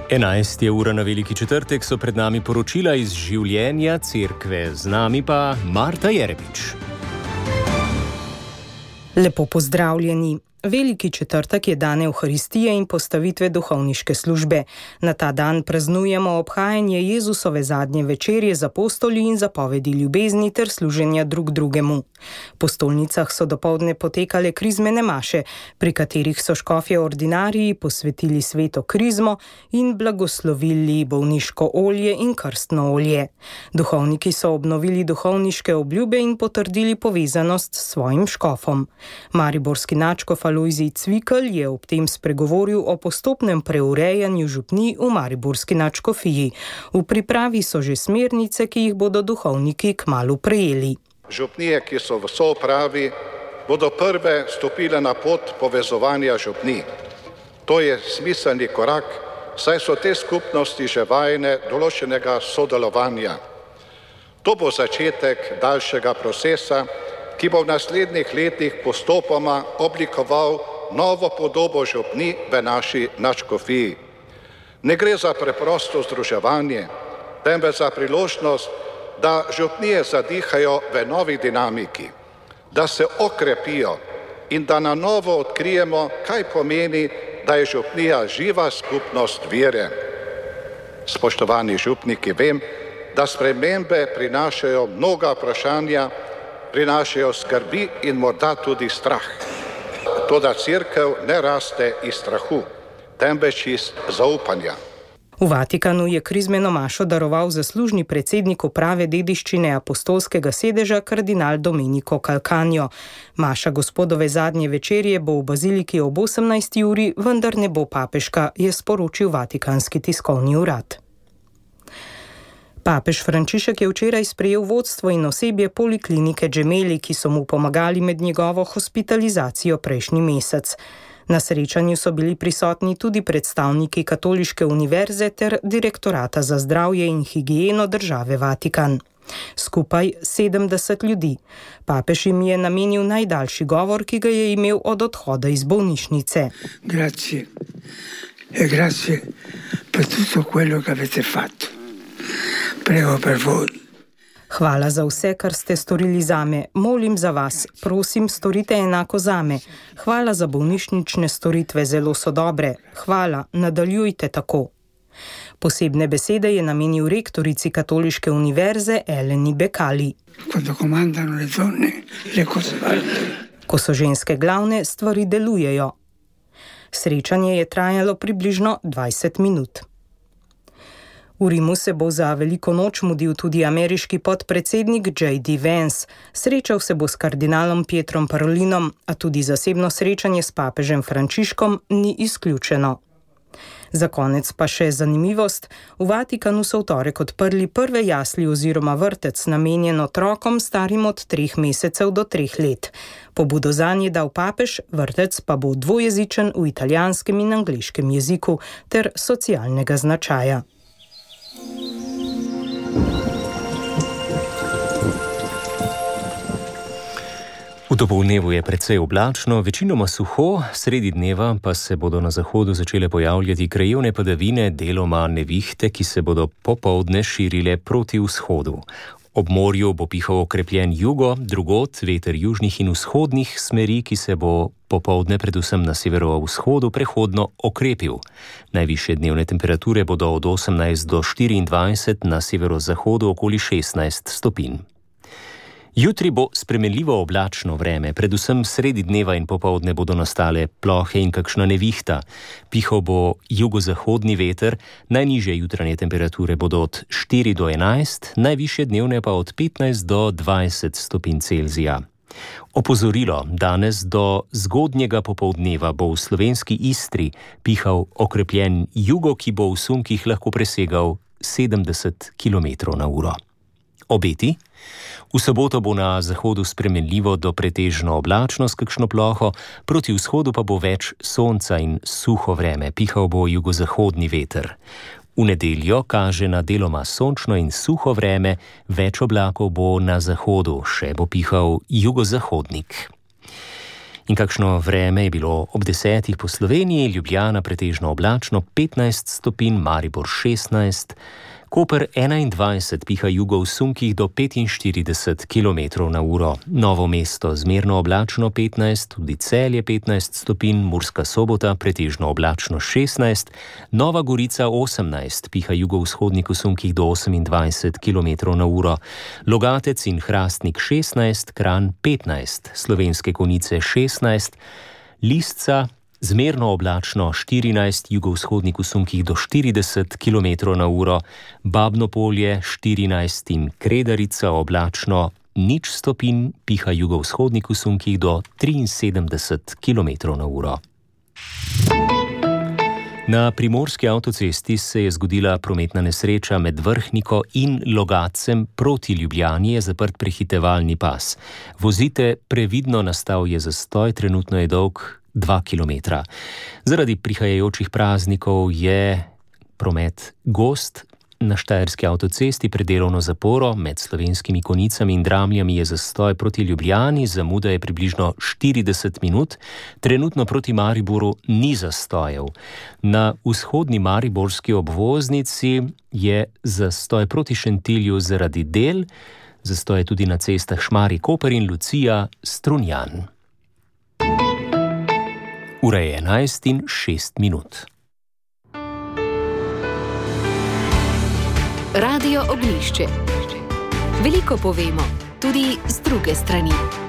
11. ura na Veliki četrtek so pred nami poročila iz življenja cerkve, z nami pa Marta Jerebič. Lepo pozdravljeni. Veliki četrtek je dan Evharistije in postavitve duhovniške službe. Na ta dan praznujemo obhajanje Jezusove zadnje večerje z apostoli in zapovedi ljubezni ter služenja drug drugemu. Po stolnicah so dopoldne potekale krizmene maše, pri katerih so škofje ordinariji posvetili sveto krizmo in blagoslovili bolniško olje in krstno olje. Duhovniki so obnovili duhovniške obljube in potrdili povezanost s svojim škofom. Mariborski nadškof Alojzij Cvikl je ob tem spregovoril o postopnem preurejanju župnij v mariborski nadškofiji. V pripravi so že smernice, ki jih bodo duhovniki kmalu prejeli. Župnije, ki so v soupravi, bodo prve stopile na pot povezovanja župnij. To je smiselni korak, saj so te skupnosti že vajene določenega sodelovanja. To bo začetek daljšega procesa, ki bo v naslednjih letih postopoma oblikoval novo podobo župnij v naši nadškofiji. Ne gre za preprosto združevanje, temveč za priložnost, da župnije zadihajo v novi dinamiki, da se okrepijo in da na novo odkrijemo, kaj pomeni, da je župnija živa skupnost vere. Spoštovani župniki, vem, da spremembe prinašajo mnoga vprašanja, prinašajo skrbi in morda tudi strah. Toda cerkev ne raste iz strahu, temveč iz zaupanja. V Vatikanu je krizmeno mašo daroval zaslužni predsednik uprave dediščine apostolskega sedeža kardinal Domenico Calcagno. Maša gospodove zadnje večerje bo v baziliki ob 18. uri, vendar ne bo papeška, je sporočil Vatikanski tiskovni urad. Papež Frančišek je včeraj sprejel vodstvo in osebje poliklinike Gemelli, ki so mu pomagali med njegovo hospitalizacijo prejšnji mesec. Na srečanju so bili prisotni tudi predstavniki Katoliške univerze ter Direktorata za zdravje in higieno države Vatikan. Skupaj 70 ljudi. Papež jim je namenil najdaljši govor, ki ga je imel od odhoda iz bolnišnice. Grazie. Grazie per tutto quello che avete fatto. Prego per voi. Hvala za vse, kar ste storili zame. Molim za vas. Prosim, storite enako zame. Hvala za bolnišnične storitve, zelo so dobre. Hvala, nadaljujte tako. Posebne besede je namenil rektorici Katoliške univerze Eleni Becali. Ko so ženske glavne, stvari delujejo. Srečanje je trajalo približno 20 minut. V Rimu se bo za veliko noč mudil tudi ameriški podpredsednik J.D. Vance. Srečal se bo s kardinalom Pietrom Parolinom, a tudi zasebno srečanje s papežem Frančiškom ni izključeno. Za konec pa še zanimivost. V Vatikanu so v torek odprli prve jasli oziroma vrtec, namenjen otrokom starim od 3 mesecev do 3 let. Pobudo zanje dal papež, vrtec pa bo dvojezičen v italijanskem in angleškem jeziku ter socialnega značaja. V dopoldnevu je precej oblačno, večinoma suho, sredi dneva pa se bodo na zahodu začele pojavljati krajevne padavine, deloma nevihte, ki se bodo popoldne širile proti vzhodu. Ob morju bo pihal okrepljen jugo, drugod veter južnih in vzhodnih smeri, ki se bo popoldne predvsem na severovzhodu prehodno okrepil. Najvišje dnevne temperature bodo od 18 do 24, na severozahodu okoli 16 stopinj. Jutri bo spremenljivo oblačno vreme, predvsem sredi dneva in popoldne bodo nastale plohe in kakšna nevihta. Pihal bo jugozahodni veter, najnižje jutranje temperature bodo od 4 do 11, najvišje dnevne pa od 15 do 20 stopinj Celzija. Opozorilo, danes do zgodnjega popoldneva bo v slovenski Istri pihal okrepljen jugo, ki bo v sunkih lahko presegal 70 km/h. Obeti? V soboto bo na zahodu spremenljivo do pretežno oblačno s kakšno ploho, proti vzhodu pa bo več sonca in suho vreme, pihal bo jugozahodni veter. V nedeljo kaže na deloma sončno in suho vreme, več oblakov bo na zahodu, še bo pihal jugozahodnik. In kakšno vreme je bilo ob 10 po Sloveniji? Ljubljana pretežno oblačno 15 stopinj, Maribor 16, Koper 21, piha jugo v sunkih do 45 km/h. Novo mesto zmerno oblačno 15, tudi Celje 15 stopinj, Murska Sobota pretežno oblačno 16, Nova Gorica 18, piha jugovzhodnik v sunkih do 28 km/h. Logatec in Hrastnik 16, Kranj 15, Slovenske Konjice 16, Lisca zmerno oblačno 14, jugovzhodnik v sunkih do 40 km/h, Babno Polje 14 in Kredarica oblačno 0 stopinj, piha jugovzhodnik v sunkih do 73 km/h. Na primorski avtocesti se je zgodila prometna nesreča med Vrhniko in Logatcem. Proti Ljubljani je zaprt prehitevalni pas. Vozite previdno, nastal je zastoj, trenutno je dolg 2 km. Zaradi prihajajočih praznikov je promet gost. Na štajerski avtocesti pred delovno zaporo med Slovenskimi Konjicami in Dramljami je zastoj proti Ljubljani, zamuda je približno 40 minut. Trenutno proti Mariboru ni zastojev. Na vzhodni mariborski obvoznici je zastoj proti Šentilju zaradi del, zastoj je tudi na cestah Šmarje-Koper in Lucija-Strunjan. Ura je 11:06. Radio Ognjišče. Veliko povemo, tudi z druge strani.